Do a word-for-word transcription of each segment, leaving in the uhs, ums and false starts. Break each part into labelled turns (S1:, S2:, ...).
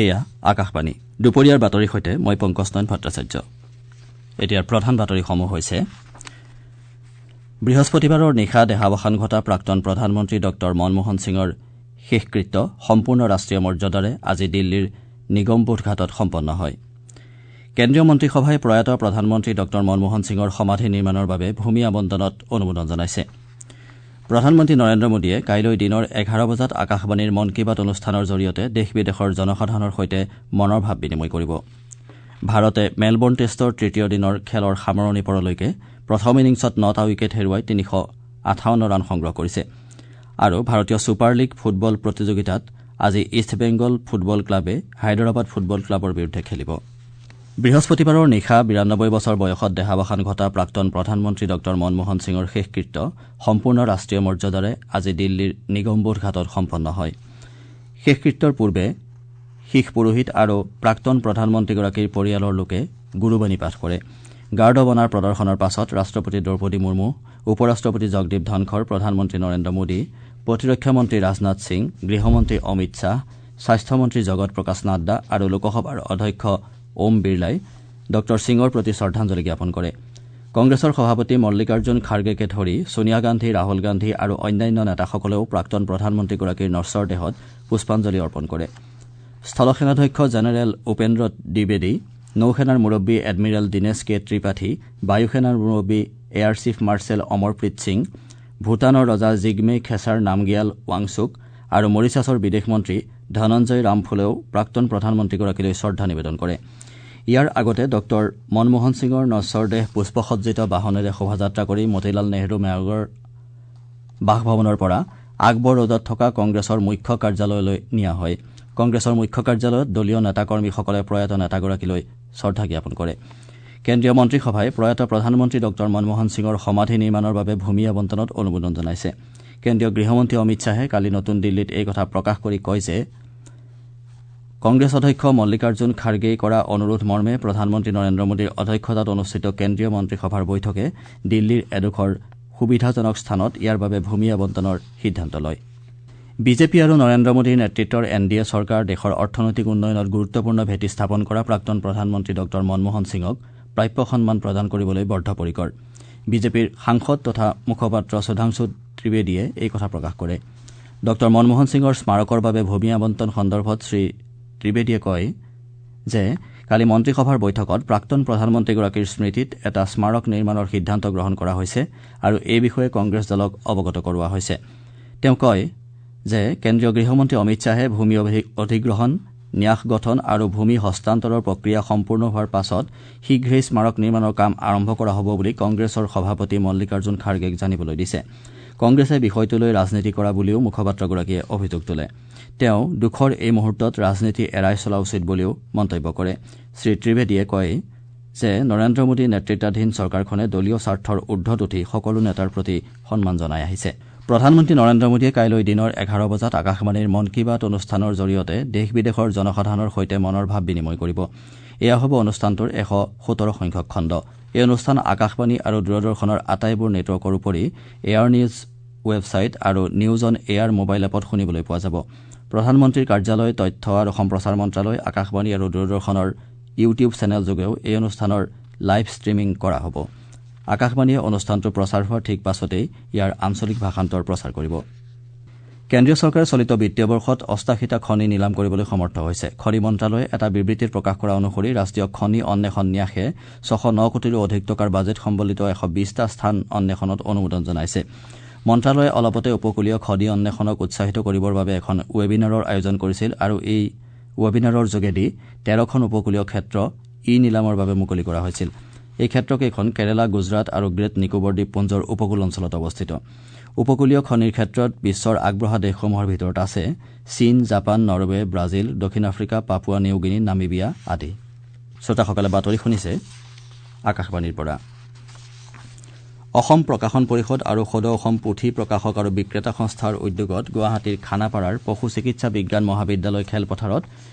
S1: এয়া আকাশবাণী। দুপৰীয়াৰ বাতৰিৰ সৈতে মই পংকজ নয়ন ভট্টাচাৰ্য। এতিয়াৰ প্ৰধান বাতৰিসমূহ হৈছে: বৃহস্পতিবাৰৰ নিশা দেহাৱসান ঘটা প্ৰাক্তন প্ৰধানমন্ত্ৰী ডঃ মনমোহন সিঙৰ শেষকৃত্য সম্পূৰ্ণ ৰাষ্ট্ৰীয় মৰ্যাদাৰে আজি দিল্লীৰ নিগমবোধ ঘাটত সম্পন্ন হয়। কেন্দ্ৰীয় মন্ত্ৰীসভাই প্ৰয়াত প্ৰধানমন্ত্ৰী ডঃ মনমোহন সিঙৰ সমাধি নিৰ্মাণৰ বাবে ভূমি আবণ্টনত অনুমোদন জনাইছে। প্ৰধানমন্ত্ৰী নৰেন্দ্ৰ মোদীয়ে কাইলৈ দিনৰ এঘাৰ বজাত আকাশবাণীৰ মন কী বাত অনুষ্ঠানৰ জৰিয়তে দেশ বিদেশৰ জনসাধাৰণৰ সৈতে মনৰ ভাৱ বিনিময় কৰিব। ভাৰতে মেলবৰ্ণ টেষ্টৰ তৃতীয় দিনৰ খেলৰ সামৰণি পৰলৈকে প্ৰথম ইনিংছত নটা উইকেট হেৰুৱাই তিনিশ আঠাৱন্ন ৰান সংগ্ৰহ কৰিছে। আৰু ভাৰতীয় ছুপাৰ লীগ ফুটবল প্ৰতিযোগিতাত আজি ইষ্ট বেংগল ফুটবল ক্লাবে হায়দৰাবাদ ফুটবল ক্লাবৰ বিৰুদ্ধে খেলিব। বৃহস্পতিবাৰৰ নিশা বিৰান্নব্বৈ বছৰ বয়সত দেহাৱসান ঘটা প্ৰাক্তন প্ৰধানমন্ত্ৰী ডঃ মনমোহন সিঙৰ শেষকৃত্য সম্পূৰ্ণ ৰাষ্ট্ৰীয় মৰ্যাদাৰে আজি দিল্লীৰ নিগমবোধ ঘাটত সম্পন্ন হয়। শেষকৃত্যৰ পূৰ্বে শিখ পুৰোহিত আৰু প্ৰাক্তন প্ৰধানমন্ত্ৰীগৰাকীৰ পৰিয়ালৰ লোকে গুৰুবাণী পাঠ কৰে। গাৰ্ড অৱ অনাৰ প্ৰদৰ্শনৰ পাছত ৰাষ্ট্ৰপতি দ্ৰৌপদী মুৰ্মু, উপ ৰাষ্ট্ৰপতি জগদীপ ধনখৰ, প্ৰধানমন্ত্ৰী নৰেন্দ্ৰ মোদী, প্ৰতিৰক্ষা মন্ত্ৰী ৰাজনাথ সিং, গৃহমন্ত্ৰী অমিত শ্বাহ, স্বাস্থ্যমন্ত্ৰী জগত প্ৰকাশ নাড্ডা আৰু লোকসভাৰ অধ্যক্ষ ওম বিৰলাই ডঃ সিঙৰ প্ৰতি শ্ৰদ্ধাঞ্জলি জ্ঞাপন কৰে। কংগ্ৰেছৰ সভাপতি মল্লিকাৰ্জুন খাৰ্গেকে ধৰি ছোনিয়া গান্ধী, ৰাহুল গান্ধী আৰু অন্যান্য নেতাসকলেও প্ৰাক্তন প্ৰধানমন্ত্ৰীগৰাকীৰ নশ্বৰ দেহত পুষ্পাঞ্জলি অৰ্পণ কৰে। স্থলসেনাধ্যক্ষ জেনেৰেল উপেন্দ্ৰ দ্বিবেদী, নৌসেনাৰ মুৰব্বী এডমিৰেল দীনেশ কে ত্ৰিপাঠী, বায়ুসেনাৰ মুৰব্বী air chief marshal Amarpreet Singh, ভূটানৰ ৰজা জিগমে খেছাৰ নামগিয়াল ৱাংচুক আৰু মৰিছাছৰ বিদেশ মন্ত্ৰী ধনঞ্জয় ৰামফুলেও প্ৰাক্তন প্ৰধানমন্ত্ৰীগৰাকীলৈ শ্ৰদ্ধা নিবেদন কৰে। ইয়াৰ আগতে ডঃ মনমোহন সিঙৰ নশ্বৰ দেহ পুষ্পসজ্জিত বাহনেৰে শোভাযাত্ৰা কৰি মতিলাল নেহৰু মাৰ্গৰ বাসভৱনৰ পৰা আকবৰ ৰোডত থকা কংগ্ৰেছৰ মুখ্য কাৰ্যালয়লৈ নিয়া হয়। কংগ্ৰেছৰ মুখ্য কাৰ্যালয়ত দলীয় নেতাকৰ্মীসকলে প্ৰয়াত নেতাগৰাকীলৈ শ্ৰদ্ধা জ্ঞাপন কৰে। কেন্দ্ৰীয় মন্ত্ৰীসভাই প্ৰয়াত প্ৰধানমন্ত্ৰী ডঃ মনমোহন সিঙৰ সমাধি নিৰ্মাণৰ বাবে ভূমি আবণ্টনত অনুমোদন জনাইছে। কেন্দ্ৰীয় গৃহমন্ত্ৰী অমিত শ্বাহে কালি নতুন দিল্লীত এই কথা প্ৰকাশ কৰি কয় যে কংগ্ৰেছ অধ্যক্ষ মল্লিকাৰ্জুন খাৰ্গেই কৰা অনুৰোধ মৰ্মে প্ৰধানমন্ত্ৰী নৰেন্দ্ৰ মোদীৰ অধ্যক্ষতাত অনুষ্ঠিত কেন্দ্ৰীয় মন্ত্ৰীসভাৰ বৈঠকে দিল্লীৰ এডোখৰ সুবিধাজনক স্থানত ইয়াৰ বাবে ভূমি আবণ্টনৰ সিদ্ধান্ত লয়। বিজেপি আৰু নৰেন্দ্ৰ মোদীৰ নেতৃত্বৰ এন ডি এ চৰকাৰ দেশৰ অৰ্থনৈতিক উন্নয়নত গুৰুত্বপূৰ্ণ ভেটি স্থাপন কৰা প্ৰাক্তন প্ৰধানমন্ত্ৰী ডঃ মনমোহন সিঙক প্ৰাপ্য সন্মান প্ৰদান কৰিবলৈ বদ্ধপৰিকৰ। বিজেপিৰ সাংসদ তথা মুখপাত্ৰ সুধাংশু ত্ৰিবেদীয়ে এই কথা প্ৰকাশ কৰে। ডঃ মনমোহন সিঙৰ স্মাৰকৰ বাবে ভূমি আবণ্টন সন্দৰ্ভত শ্ৰী ত্ৰিবেদীয়ে কয় যে কালি মন্ত্ৰীসভাৰ বৈঠকত প্ৰাক্তন প্ৰধানমন্ত্ৰীগৰাকীৰ স্মৃতিত এটা স্মাৰক নিৰ্মাণৰ সিদ্ধান্ত গ্ৰহণ কৰা হৈছে আৰু এই বিষয়ে কংগ্ৰেছ দলক অৱগত কৰোৱা হৈছে। তেওঁ কয় যে কেন্দ্ৰীয় গৃহমন্ত্ৰী অমিত শ্বাহে ভূমি অধিগ্ৰহণ, ন্যাস গঠন আৰু ভূমি হস্তান্তৰৰ প্ৰক্ৰিয়া সম্পূৰ্ণ হোৱাৰ পাছত শীঘ্ৰেই স্মাৰক নিৰ্মাণৰ কাম আৰম্ভ কৰা হ'ব বুলি কংগ্ৰেছৰ সভাপতি মল্লিকাৰ্জুন খাৰ্গেক জানিবলৈ দিছে। কংগ্ৰেছে বিষয়টোলৈ ৰাজনীতি কৰা বুলিও মুখপাত্ৰগৰাকীয়ে অভিযোগ তোলে। তেওঁ দুখৰ এই মুহূৰ্তত ৰাজনীতি এৰাই চলা উচিত বুলিও মন্তব্য কৰে। শ্ৰী ত্ৰিবেদীয়ে কয় যে নৰেন্দ্ৰ মোদী নেতৃত্বাধীন চৰকাৰখনে দলীয় স্বাৰ্থৰ ঊৰ্ধত উঠি সকলো নেতাৰ প্ৰতি সন্মান জনাই আহিছে। প্ৰধানমন্ত্ৰী নৰেন্দ্ৰ মোদীয়ে কাইলৈ দিনৰ এঘাৰ বজাত আকাশবাণীৰ মন কী বাত অনুষ্ঠানৰ জৰিয়তে দেশ বিদেশৰ জনসাধাৰণৰ সৈতে মনৰ ভাৱ বিনিময় কৰিব। এয়া হ'ব অনুষ্ঠানটোৰ এশ সোতৰ সংখ্যক খণ্ড। এই অনুষ্ঠান আকাশবাণী আৰু দূৰদৰ্শনৰ আটাইবোৰ নেটৱৰ্কৰ উপৰি এয়াৰ নিউজ ৱেবছাইট আৰু নিউজ অন এয়াৰ মোবাইল এপত শুনিবলৈ পোৱা যাব। প্ৰধানমন্ত্ৰীৰ কাৰ্যালয়, তথ্য আৰু সম্প্ৰচাৰ মন্ত্ৰালয়, আকাশবাণী আৰু দূৰদৰ্শনৰ ইউটিউব চেনেলযোগেও এই অনুষ্ঠানৰ লাইভ ষ্ট্ৰীমিং কৰা হ'ব। আকাশবাণীয়ে অনুষ্ঠানটো প্ৰচাৰ হোৱাৰ ঠিক পাছতেই ইয়াৰ আঞ্চলিক ভাষান্তৰ প্ৰচাৰ কৰিব। কেন্দ্ৰীয় চৰকাৰে চলিত বিত্তীয় বৰ্ষত অষ্টাশীটা খনি নিলাম কৰিবলৈ সমৰ্থ হৈছে। খনি মন্ত্ৰালয়ে এটা বিবৃতিত প্ৰকাশ কৰা অনুসৰি ৰাষ্ট্ৰীয় খনি অন্বেষণ ন্যাসে ছশ ন কোটিৰো অধিক টকাৰ বাজেট সম্বলিত এশ বিশটা স্থান অন্বেষণত অনুমোদন জনাইছে। মন্ত্ৰালয়ে অলপতে উপকূলীয় খনি অন্বেষণক উৎসাহিত কৰিবৰ বাবে এখন ৱেবিনাৰৰ আয়োজন কৰিছিল আৰু এই ৱেবিনাৰৰ যোগেদি তেৰখন উপকূলীয় ক্ষেত্ৰ ই নিলামৰ বাবে মুকলি কৰা হৈছিল। এই ক্ষেত্ৰকেইখন কেৰালা, গুজৰাট আৰু গ্ৰেট নিকোবৰ দ্বীপপুঞ্জৰ উপকূল অঞ্চলত অৱস্থিত। উপকূলীয় খনিৰ ক্ষেত্ৰত বিশ্বৰ আগবঢ়া দেশসমূহৰ ভিতৰত আছে চীন, জাপান, নৰৱে, ব্ৰাজিল, দক্ষিণ আফ্ৰিকা, পাপুৱা নিউগিনি, নামিবিয়া আদি। শ্ৰোতাসকলে বাতৰি শুনিছে আকাশবাণীৰ পৰা। অসম প্ৰকাশন পৰিষদ আৰু সদৌ অসম পুথি প্ৰকাশক আৰু বিক্ৰেতা সংস্থাৰ উদ্যোগত গুৱাহাটীৰ খানাপাৰাৰ পশু চিকিৎসা বিজ্ঞান মহাবিদ্যালয় খেলপথাৰত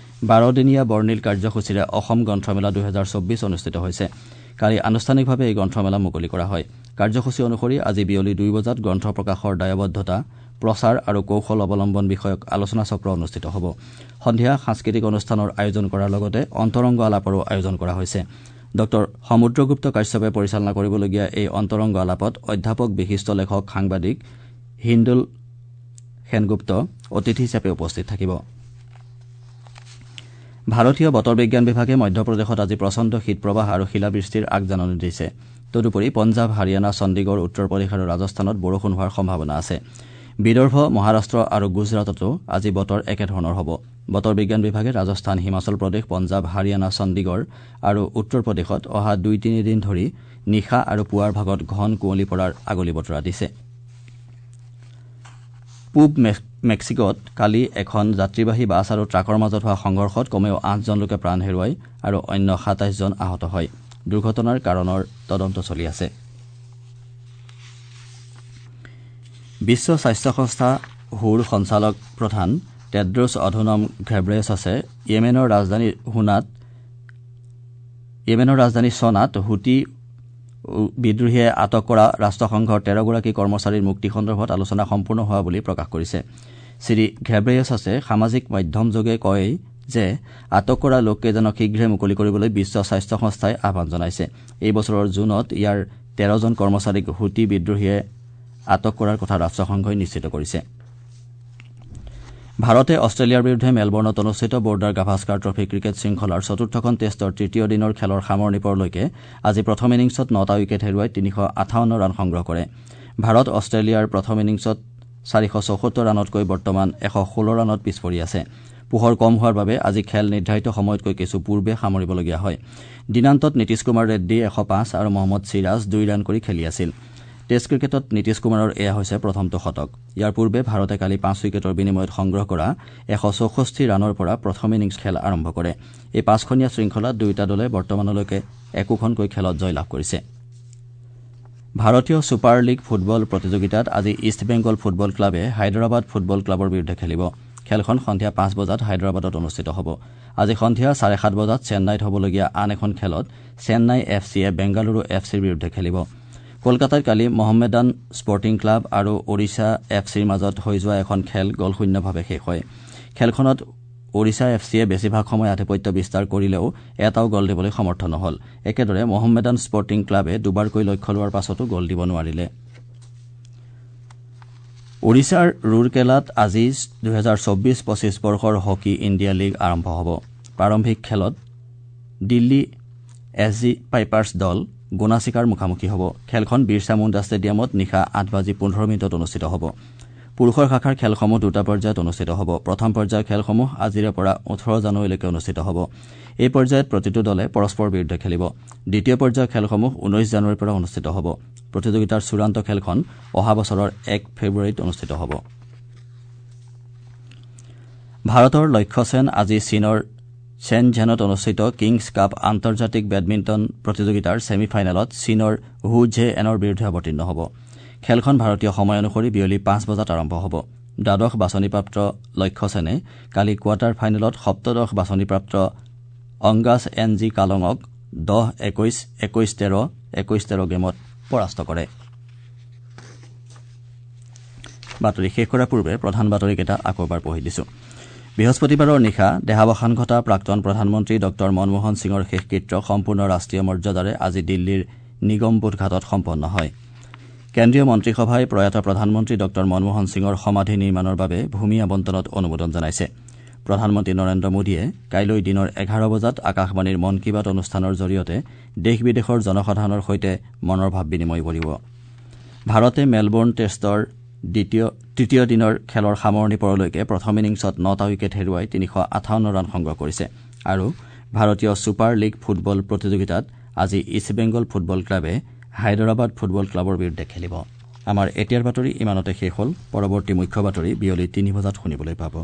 S1: বাৰদিনীয়া বৰ্ণিল কাৰ্যসূচীৰে অসম গ্ৰন্থমেলা দুহেজাৰ চৌব্বিছ অনুষ্ঠিত হৈছে। কালি আনুষ্ঠানিকভাৱে এই গ্ৰন্থমেলা মুকলি কৰা হয়। কাৰ্যসূচী অনুসৰি আজি বিয়লি দুই বজাত গ্ৰন্থ প্ৰকাশৰ দায়বদ্ধতা, প্ৰচাৰ আৰু কৌশল অৱলম্বন বিষয়ক আলোচনাচক্ৰ অনুষ্ঠিত হ'ব। সন্ধিয়া সাংস্কৃতিক অনুষ্ঠানৰ আয়োজন কৰাৰ লগতে অন্তৰংগ আলাপৰো আয়োজন কৰা হৈছে। ডঃ সমুদ্ৰগুপ্ত কাশ্যপে পৰিচালনা কৰিবলগীয়া এই অন্তৰংগ আলাপত অধ্যাপক, বিশিষ্ট লেখক, সাংবাদিক হিন্দুল সেনগুপ্ত অতিথি হিচাপে উপস্থিত থাকিব। ভাৰতীয় বতৰ বিজ্ঞান বিভাগে মধ্যপ্ৰদেশত আজি প্ৰচণ্ড শীতপ্ৰবাহ আৰু শিলাবৃষ্টিৰ আগজাননী দিছে। তদুপৰি পঞ্জাৱ, হাৰিয়ানা, চণ্ডীগড়, উত্তৰ প্ৰদেশ আৰু ৰাজস্থানত বৰষুণ হোৱাৰ সম্ভাৱনা আছে। বিদৰ্ভ, মহাৰাষ্ট্ৰ আৰু গুজৰাটতো আজি বতৰ একেধৰণৰ হ'ব। বতৰ বিজ্ঞান বিভাগে ৰাজস্থান, হিমাচল প্ৰদেশ, পঞ্জাৱ, হাৰিয়ানা, চণ্ডীগড় আৰু উত্তৰ প্ৰদেশত অহা দুই তিনিদিন ধৰি নিশা আৰু পুৱাৰ ভাগত ঘন কুঁৱলী পৰাৰ আগলি বতৰা দিছে। পূব মেক্সিকোত কালি এখন যাত্ৰীবাহী বাছ আৰু ট্ৰাকৰ মাজত হোৱা সংঘৰ্ষত কমেও আঠজন লোকে প্ৰাণ হেৰুৱায় আৰু অন্য সাতাইছজন আহত হয়। দুৰ্ঘটনাৰ কাৰণৰ তদন্ত চলি আছে। বিশ্ব স্বাস্থ্য সংস্থা হুৰ সঞ্চালক প্ৰধান টেড্ৰোছ অধনম ঘেব্ৰেছাছে য়েমেনৰ ৰাজধানী হুনাত য়েমেনৰ ৰাজধানী চনাত হুতি বিদ্ৰোহীয়ে আটক কৰা ৰাষ্ট্ৰসংঘৰ তেৰগৰাকী কৰ্মচাৰীৰ মুক্তি সন্দৰ্ভত আলোচনা সম্পূৰ্ণ হোৱা বুলি প্ৰকাশ কৰিছে। শ্ৰী ঘেব্ৰেছাছে সামাজিক মাধ্যমযোগে কয় যে আটক কৰা লোককেইজনক শীঘ্ৰে মুকলি কৰিবলৈ বিশ্ব স্বাস্থ্য সংস্থাই আহ্বান জনাইছে। এই বছৰৰ জুনত ইয়াৰ তেৰজন কৰ্মচাৰীক হুতি বিদ্ৰোহীয়ে আটক কৰাৰ কথা ৰাষ্ট্ৰসংঘই নিশ্চিত কৰিছে। ভাৰতে অষ্ট্ৰেলিয়াৰ বিৰুদ্ধে মেলবৰ্ণত অনুষ্ঠিত বৰ্ডাৰ গাভাস্কাৰ ট্ৰফী ক্ৰিকেট শৃংখলাৰ চতুৰ্থখন টেষ্টৰ তৃতীয় দিনৰ খেলৰ সামৰণি পৰলৈকে আজি প্ৰথম ইনিংছত নটা উইকেট হেৰুৱাই তিনিশ আঠাৱন্ন ৰান সংগ্ৰহ কৰে। ভাৰত অষ্ট্ৰেলিয়াৰ প্ৰথম ইনিংছত চাৰিশ চৌসত্তৰ ৰানতকৈ বৰ্তমান এশ ষোল্ল ৰানত পিছ পৰি আছে। পোহৰ কম হোৱাৰ বাবে আজি খেল নিৰ্ধাৰিত সময়তকৈ কিছু পূৰ্বে সামৰিবলগীয়া হয়। দিনান্তত নীতিশ কুমাৰ ৰেড্ডী এশ পাঁচ আৰু মহম্মদ চিৰাজ দুই ৰান কৰি খেলি আছিল। টেষ্ট ক্ৰিকেটত নীতিশ কুমাৰৰ এয়া হৈছে প্ৰথমটো শতক। ইয়াৰ পূৰ্বে ভাৰতে কালি পাঁচ উইকেটৰ বিনিময়ত সংগ্ৰহ কৰা এশ চৌষষ্ঠি ৰানৰ পৰা প্ৰথম ইনিংছ খেল আৰম্ভ কৰে। এই পাঁচখনীয়া শৃংখলাত দুয়োটা দলে বৰ্তমানলৈকে একোখনকৈ খেলত জয়লাভ কৰিছে। ভাৰতীয় ছুপাৰ লীগ ফুটবল প্ৰতিযোগিতাত আজি ইষ্ট বেংগল ফুটবল ক্লাবে হায়দৰাবাদ ফুটবল ক্লাবৰ বিৰুদ্ধে খেলিব। খেলখন সন্ধিয়া পাঁচ বজাত হায়দৰাবাদত অনুষ্ঠিত হ'ব। আজি সন্ধিয়া চাৰে সাত বজাত চেন্নাইত হ'বলগীয়া আন এখন খেলত চেন্নাই এফ চিয়ে বেংগালুৰু এফ চিৰ বিৰুদ্ধে খেলিব। কলকাতাত কালি মহম্মেদান স্পৰ্টিং ক্লাব আৰু ওড়িশা এফ চিৰ মাজত হৈ যোৱা এখন খেল গ'লশূন্যভাৱে শেষ হয়। খেলখনত ওড়িশা এফ চিয়ে বেছিভাগ সময় আধিপত্য বিস্তাৰ কৰিলেও এটাও গ'ল দিবলৈ সমৰ্থ নহ'ল। একেদৰে মহম্মেদান স্পৰ্টিং ক্লাবে দুবাৰকৈ লক্ষ্য লোৱাৰ পাছতো গ'ল দিব নোৱাৰিলে। ওড়িশাৰ ৰুৰকেলাত আজি দুহেজাৰ চৌব্বিছ পঁচিছ বৰ্ষৰ হকী ইণ্ডিয়া লীগ আৰম্ভ হ'ব। প্ৰাৰম্ভিক খেলত দিল্লী এছ জি পাইপাৰ্ছ দল গোনাচিকাৰ মুখামুখি হ'ব। খেলখন বিৰছা মুণ্ডা ষ্টেডিয়ামত নিশা আঠ বাজি পোন্ধৰ মিনিটত অনুষ্ঠিত হ'ব। পুৰুষৰ শাখাৰ খেলসমূহ দুটা পৰ্যায়ত অনুষ্ঠিত হ'ব। প্ৰথম পৰ্যায়ৰ খেলসমূহ আজিৰে পৰা ওঠৰ জানুৱাৰীলৈকে অনুষ্ঠিত হ'ব। এই পৰ্যায়ত প্ৰতিটো দলে পৰস্পৰৰ বিৰুদ্ধে খেলিব। দ্বিতীয় পৰ্যায়ৰ খেলসমূহ ঊনৈশ জানুৱাৰীৰ পৰা অনুষ্ঠিত হ'ব। প্ৰতিযোগিতাৰ চূড়ান্ত খেলখন অহা বছৰৰ এক ফেব্ৰুৱাৰীত অনুষ্ঠিত হ'ব। ভাৰতৰ লক্ষ্য সেন আজি চীনৰ চেনঝেনত অনুষ্ঠিত কিংছ কাপ আন্তৰ্জাতিক বেডমিণ্টন প্ৰতিযোগিতাৰ ছেমি ফাইনেলত চীনৰ হু ঝে এনৰ বিৰুদ্ধে অৱতীৰ্ণ হ'ব। খেলখন ভাৰতীয় সময় অনুসৰি বিয়লি পাঁচ বজাত আৰম্ভ হ'ব। দ্বাদশ বাছনিপ্ৰাপ্ত লক্ষ্য সেনে কালি কোৱাৰ্টাৰ ফাইনেলত সপ্তদশ বাছনিপ্ৰাপ্ত অংগাছ এন জি কালঙক দহ একৈশ, একৈশ তেৰ, একৈশ তেৰ গেমত পৰাস্ত কৰে। বাতৰি শেষ কৰাৰ পূৰ্বে প্ৰধান বাতৰিকেইটা আকৌ এবাৰ পঢ়ি দিছো। বৃহস্পতিবাৰৰ নিশা দেহাৱসান ঘটা প্ৰাক্তন প্ৰধানমন্ত্ৰী ডঃ মনমোহন সিঙৰ শেষকৃত্য সম্পূৰ্ণ ৰাষ্ট্ৰীয় মৰ্যাদাৰে আজি দিল্লীৰ নিগমবোধ ঘাটত সম্পন্ন হয়। কেন্দ্ৰীয় মন্ত্ৰীসভাই প্ৰয়াত প্ৰধানমন্ত্ৰী ডঃ মনমোহন সিঙৰ সমাধি নিৰ্মাণৰ বাবে ভূমি আবণ্টনত অনুমোদন জনাইছে। প্ৰধানমন্ত্ৰী নৰেন্দ্ৰ মোদীয়ে কাইলৈ দিনৰ এঘাৰ বজাত আকাশবাণীৰ মন কী বাত অনুষ্ঠানৰ জৰিয়তে দেশ বিদেশৰ জনসাধাৰণৰ সৈতে মনৰ ভাৱ বিনিময় কৰিব। ভাৰতে মেলবৰ্ণ টেষ্টৰ দ্বিতীয় তৃতীয় দিনৰ খেলৰ সামৰণি পৰলৈকে প্ৰথম ইনিংছত নটা উইকেট হেৰুৱাই তিনিশ আঠাৱন্ন ৰান সংগ্ৰহ কৰিছে। আৰু ভাৰতীয় ছুপাৰ লীগ ফুটবল প্ৰতিযোগিতাত আজি ইষ্ট বেংগল ফুটবল ক্লাবে হায়দৰাবাদ ফুটবল ক্লাবৰ বিৰুদ্ধে খেলিব। আমাৰ এতিয়াৰ বাতৰি ইমানতে শেষ হ'ল। পৰৱৰ্তী মুখ্য বাতৰি বিয়লি তিনি বজাত শুনিবলৈ পাব।